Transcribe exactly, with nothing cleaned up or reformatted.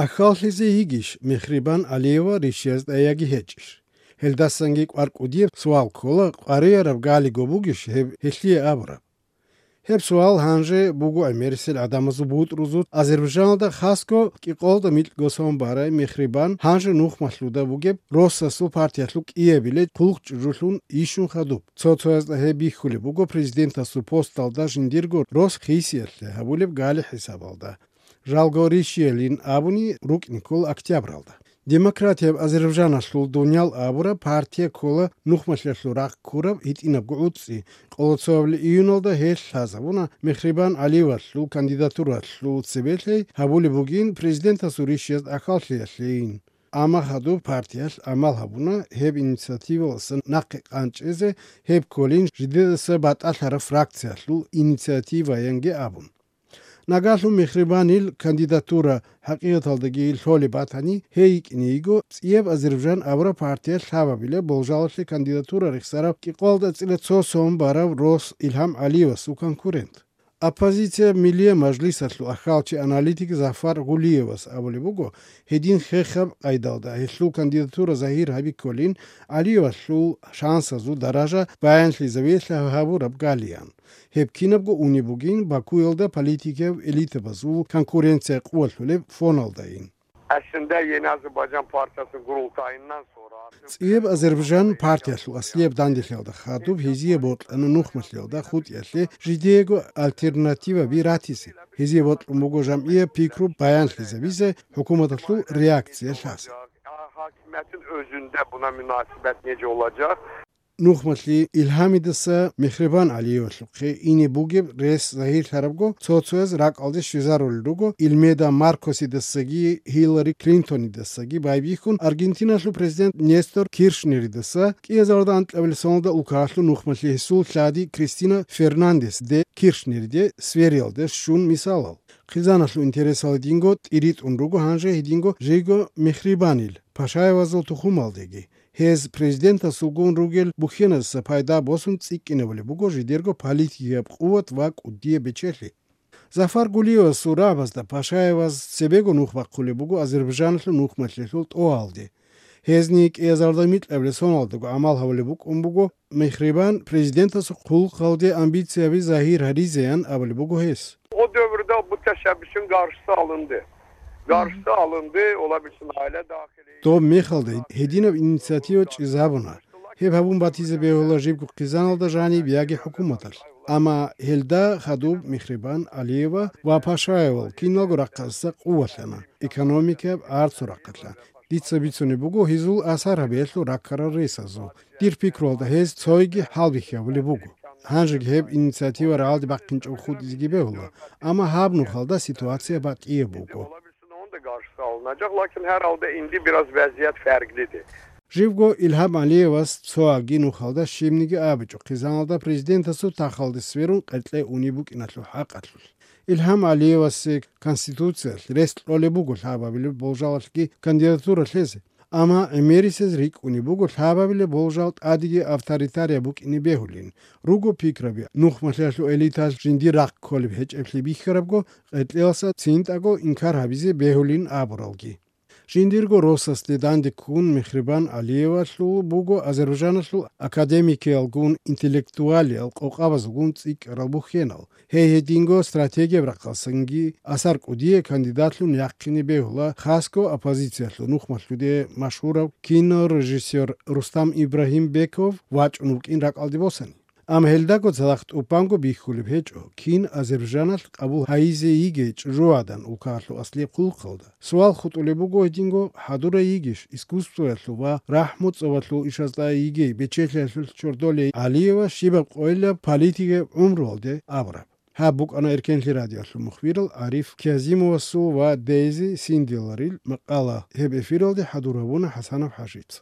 Ахьаллъизе йигищ Мехрибан Алиева Ришиязда яги гьечӀищ? Гьелдасанги кӀвар кӀудияб суал ккола, къваригӀараб галиго бугищ гьеб гьелъие абураб? Гьеб суал гьанже буго гӀемерисел гӀадамазул бутӀрузул Азербайжаналда, хасго кӀикъоялда микьго сон барай Мехрибан гьанже нухмалъуда бугеб Россасул партиялъул кӀиабилей хъулухъ чӀужулъун ишун хадуб. Цо-цоясда гьеб бихьулеб буго президентасул посталда жиндирго рос хисиялъе гьабулеб гали хӀисабалда. Жалго Ришиялин абуни рукӀин ккола октябралда. Демократияб Азербайжаналъул Дуниял абураб партия ккола нухмалъиялъул рахъ ккураб гьитӀинабго гӀуцӀи, къоло цоабилеб июналда гьелъ лъазабуна Мехрибан Алиевалъул кандидатуралъул цебелъей гьабулеб бугин президентасул Ришияз ахьаллъиялъейин. Амма хадуб партиялъ амал гьабуна гьеб инициативаласан нахъе къанчӀезе, гьеб кколин жидедаса батӀалъараб фракциялъул инициативаянги абун. Нагагьлъун Мехрибанил кандидатура хӀакъикъаталдаги лъолеб батани, гьей йикӀине йиго ЦӀияб Азербайжан абураб партиялъ лъабабилеб болжалалъе кандидатура рехсарав кӀикъоялда цӀила цо сон барав рос Илгьам Алиевасул конкурент. Оппозиция Миллияб мажлисалъул ахьалчи-аналитик Зафар Гулиевас абулеб буго, гьедин хехаб къайдалда гьелъул кандидатура загьир гьаби кколин, Алиевалъул шансазул даража баянлъизавиялъе гьабураб галиян. Гьеб кинабго унеб бугин Бакуялда политикияв элитабазул конкуренция къувалъулеб фоналдайин. Aslında Yeni Azerbaycan Partisi'nin kurultayından sonra ЦӀияб Азербайжан партиялъул аслияб данделъиялда хадуб гьезие бокьана нухмалъиялда хутӀиялъе жидеего альтернативаби ратизе. Гьезие бокьун буго жамгӀияб пикру баянлъизабизе, хӀукуматалъул реакция лъазе. Hakimiyetin özünde buna münasebet nece olacak? Нухмалъи Илгьамидаса Мехрибан Алиевалъухъе ине бугеб рес загьирлъарабго, цо-цояз ракӀалде щвезарулел руго, Илмеда Маркосидасаги Хиллари Клинтонидасаги байбихьун, Аргентиналъул президент Нестор Киршнеридаса кӀиазарда анкьабилеб соналда улкаялъул нухмалъи гьесул лъади Кристина Фернандес де Киршнериде свериялде щун мисалал. Хъизаналъул интересалдинго тӀиритӀун руго гьанже гьединго жийго Мехрибанил Пашаевазул тухумалдеги. Гьез президентасулгун ругел бухьеназда пайда босун цӀикӀкӀинабулеб буго жидерго политикияб къуват ва кӀудияб бечелъи. Зафар Гулиевасул рагӀабазда Пашаеваз цебего нух бахъулеб буго Азербайжаналъул нухмалъиялъул тӀогьалде. Гьезни кӀиазарда микьабилеб соналдаго гӀамал гьабулеб букӀун буго, Мехрибан президентасул хъулухъалде амбицияби загьир гьаризеян абулеб буго гьес. O dövrde bu teşebbüsün karşısı alındı. Karşısı alındı, olabilirsin aile dahili. Доб мехалда гьединаб инициатива чӀезабуна. Гьеб гьабун батизе бегьула жибго хъизаналда жаниб яги хӀукуматалъ. Амма гьелда хадуб Мехрибан Алиева ва Пашаевал киналго рахъалъа къувалъана, экономикаяб, арцул рахъалъа. Дица бицунеб буго гьезул асар гьабиялъул раккарал ресазул. Дир пикруялда гьез цойги хӀалбихьи гьабулеб буго. Гьанжеги гьеб инициатива рагӀалде бахъинчӀого хутӀизеги бегьула, амма гьаб нухалда ситуация батӀияб буго. Onu da karşısı alınacak. Lakin herhalde indi biraz vaziyet farklıdır. Живго Илгьам Алиевас цоаги нухалда щибниги абичӀо хъизаналда президентасул тахалде сверун къеркье унеб букӀиналъул хӀакъалъулъ. Илгьам Алиевасе Конституциялъ рес кьолеб буго лъабабилеб болжалалъги кандидатура лъезе. Амма гӀемерисез рикӀкӀунеб буго лъабабилеб болжал тӀадеги авторитарияб букӀине бегьулин. Руго пикраби, нухмалъиялъул элиталъ жиндир рахъ кколеб гьечӀеблъи бихьарабго, къеркьеласа цинтӀаго инкар гьабизе бегьулин абуралги. Жиндирго росасде данде ккун Мехрибан Алиевалъул буго Азербайжаналъул академикиялгун, интеллектуалиял къокъабазулгун цӀикӀкӀарал бухьенал. Гьей гьединго стратегияб рахъалъанги асар кӀудияй кандидатлъун яхъине бегьула, хасго оппозициялъул нухмалъуде машгьурав кинорежиссер Рустам Ибрагьимбеков вачӀун вукӀин ракӀалде босани. Амма гьелдаго цадахъ тӀубанго бихьулеб гьечӀо, кин Азербайжаналъ къабул гьайизе йигей чӀужугӀадан улкаялъул аслияб хъулухъалда. Суал хутӀулеб буго гьединго, хӀадурай йигищ искусствоялъул ва рахӀму-цӀобалъул ишазда йигей бечелъиялъулъ чордолей Алиева щибаб къойилаб политикияб гӀумруялде абураб. Гьаб букӀана Эркенлъи радиоялъул мухбирал Ариф Кязимовасул ва Дейзи Синдиларил макъала. Гьеб эфиралде хӀадур гьабуна ХӀасанов ХӀажица.